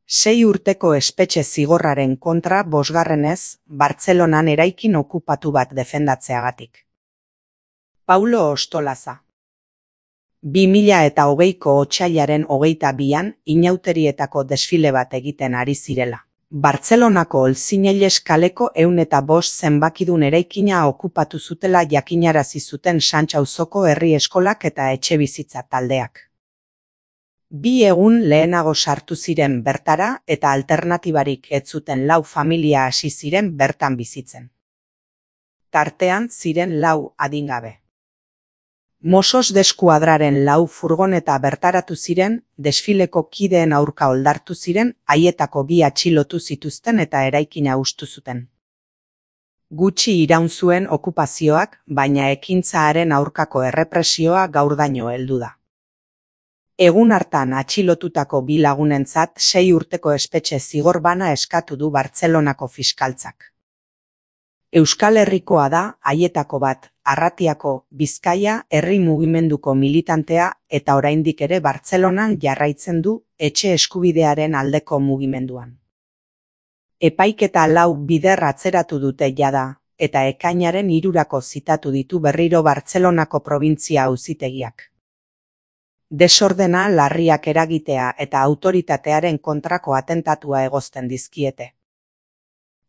6 urteko espetxe zigorraren kontra bosgarrenez, Bartzelonan eraikin okupatu bat defendatzeagatik. Paulo Ostolaza. 2020ko otsailaren 22an inauterietako desfile bat egiten ari zirela. Bartzelonako Olzinelles kaleko 105 zenbakidun eraikina okupatu zutela jakinarazi zuten Santxa auzoko herri eskolak eta etxebizitza taldeak. 2 egun lehenago sartu ziren bertara eta alternatibarik ez zuten 4 familia hasi ziren bertan bizitzen. Tartean ziren 4 adingabe. Mossos d'Eskuadraren 4 furgoneta bertaratu ziren, desfileko kideen aurka oldartu ziren, haietako 2 atxilotu zituzten eta eraikina hustu zuten. Gutxi iraun zuen okupazioak, baina ekintzaaren aurkako errepresioa gaurdaino heldu da. Egun hartan atxilotutako 2 lagunentzat 6 urteko espetxe zigor bana eskatu du Bartzelonako fiskaltzak. Euskal Herrikoa da haietako bat, Arratiako, Bizkaia herri mugimenduko militantea eta oraindik ere Bartzelonan jarraitzen du etxe eskubidearen aldeko mugimenduan. Epaiketa 4 bider atzeratu dute jada, eta ekainaren 3 zitatu ditu berriro Bartzelonako probintzia auzitegiak. Desordena larriak eragitea eta autoritatearen kontrako atentatua egozten dizkiete.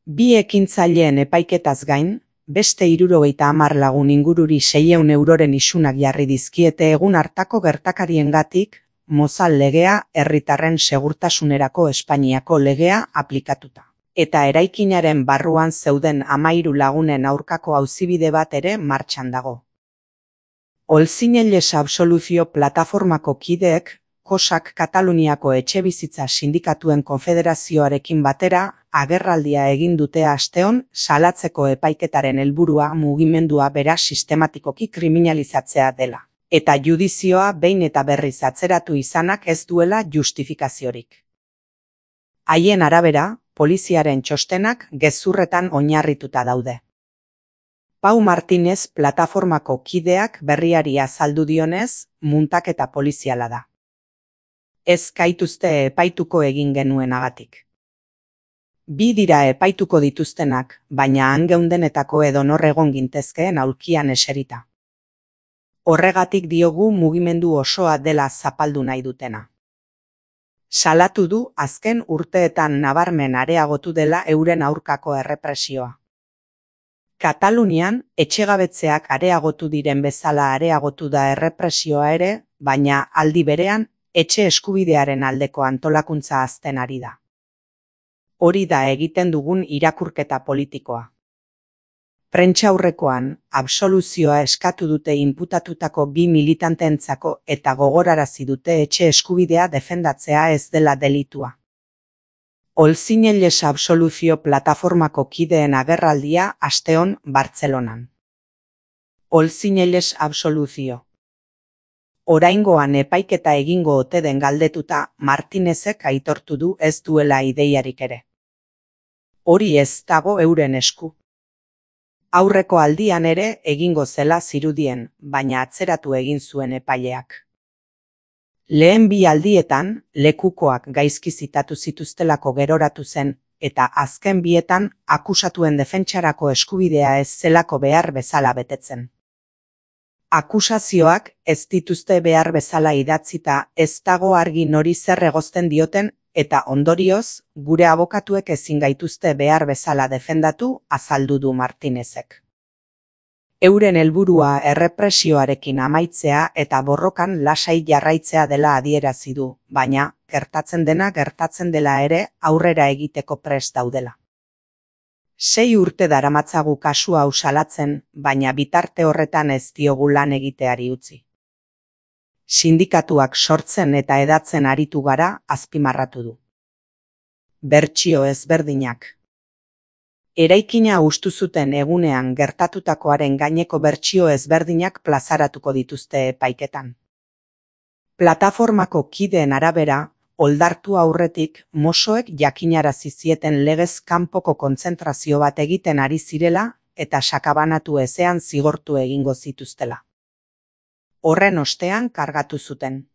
2 ekintzaileen epaiketaz gain, beste 70 lagun ingururi 600 euroren isunak jarri dizkiete egun hartako gertakariengatik, Mozal legea, herritarren segurtasunerako Espainiako legea aplikatuta. Eta eraikinaren barruan zeuden 13 lagunen aurkako auzibide bat ere martxan dago. Olzinelles Absoluzio plataformako kideek, Kosak Kataluniako etxebizitza sindikatuen konfederazioarekin batera, agerraldia egin dute asteon salatzeko epaiketaren helburua mugimendua bera sistematikoki kriminalizatzea dela. Eta judizioa behin eta berriz atzeratu izanak ez duela justifikaziorik. Haien arabera, poliziaren txostenak gezurretan oinarrituta daude. Pau Martinez plataformako kideak berriari azaldu dionez, muntaketa poliziala da. Ez gaituzte epaituko egin genuenagatik. 2 dira epaituko dituztenak, baina han geundenetako edonor egon gintezkeen aulkian eserita. Horregatik diogu mugimendu osoa dela zapaldu nahi dutena. Salatu du azken urteetan nabarmen areagotu dela euren aurkako errepresioa. Katalunian etxegabetzeak areagotu diren bezala areagotu da errepresioa ere, baina aldi berean etxe eskubidearen aldeko antolakuntza hazten ari da. Hori da egiten dugun irakurketa politikoa. Prentsaurrekoan, absoluzioa eskatu dute inputatutako 2 militanteentzako eta gogorarazi dute etxe eskubidea defendatzea ez dela delitua. Olzinelles Absoluzio plataformako kideen agerraldia asteon Bartzelonan. Olzinelles Absoluzio. Oraingoan epaiketa egingo ote den galdetuta, Martinezek aitortu du ez duela ideiarik ere. Hori ez dago euren esku. Aurreko aldian ere egingo zela zirudien, baina atzeratu egin zuen epaileak. Lehen 2 aldietan, lekukoak gaizki zitatu zituztelako geroratu zen, eta azken 2etan akusatuen defentsarako eskubidea ez zelako behar bezala betetzen. Akusazioak ez dituzte behar bezala idatzita ez dago argi nori zer egozten dioten, eta ondorioz, gure abokatuek ezin gaituzte behar bezala defendatu, azaldu du Martinezek. Euren helburua errepresioarekin amaitzea eta borrokan lasai jarraitzea dela adierazi du, baina, gertatzen dena gertatzen dela ere aurrera egiteko prest daudela. 6 urte daramatzagu kasu hau salatzen, baina bitarte horretan ez diogu lan egiteari utzi. Sindikatuak sortzen eta hedatzen aritu gara, azpimarratu du. Bertsio ezberdinak. Eraikina hustu zuten egunean gertatutakoaren gaineko bertsio ezberdinak plazaratuko dituzte epaiketan. Plataformako kideen arabera, oldartu aurretik Mossoek jakinarazi zieten legez kanpoko kontzentrazio bat egiten ari zirela eta sakabanatu ezean zigortu egingo zituztela. Horren ostean kargatu zuten.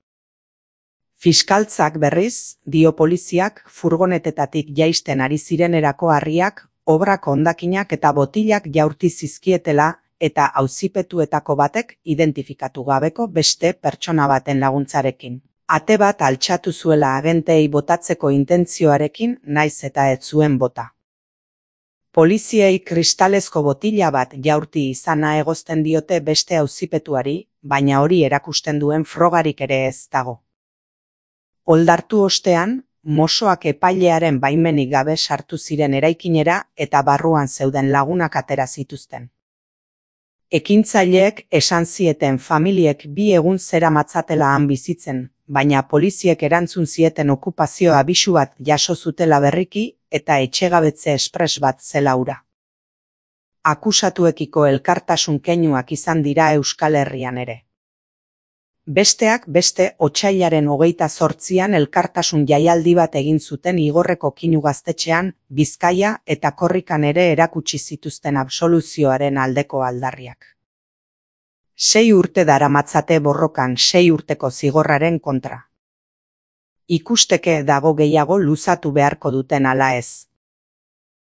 Fiskaltzak berriz, dio poliziak furgonetetatik jaisten ari zirenerako harriak, obrak hondakinak eta botilak jaurti zizkietela eta auzipetuetako batek identifikatu gabeko beste pertsona baten laguntzarekin. Ate bat altxatu zuela agenteei botatzeko intentzioarekin naiz eta ez zuen bota. Poliziei kristalezko botila bat jaurti izana egozten diote beste auzipetuari, baina hori erakusten duen frogarik ere ez dago. Oldartu ostean, mosoak epailearen baimenik gabe sartu ziren eraikinera eta barruan zeuden lagunak atera zituzten. Ekintzaileek esan zieten familiek 2 egun zeramatzatela han bizitzen, baina poliziek erantzun zieten okupazio abisu bat jaso zutela berriki eta etxegabetze espres bat zela hura. Akusatuekiko elkartasun keinuak izan dira Euskal Herrian ere. Besteak beste otsailaren 28an elkartasun jaialdi bat egin zuten Igorreko Kinu gaztetxean, Bizkaia eta Korrikan ere erakutsi zituzten absoluzioaren aldeko aldarriak. 6 urte daramatzate borrokan 6 urteko zigorraren kontra. Ikusteke dago gehiago luzatu beharko duten ala ez.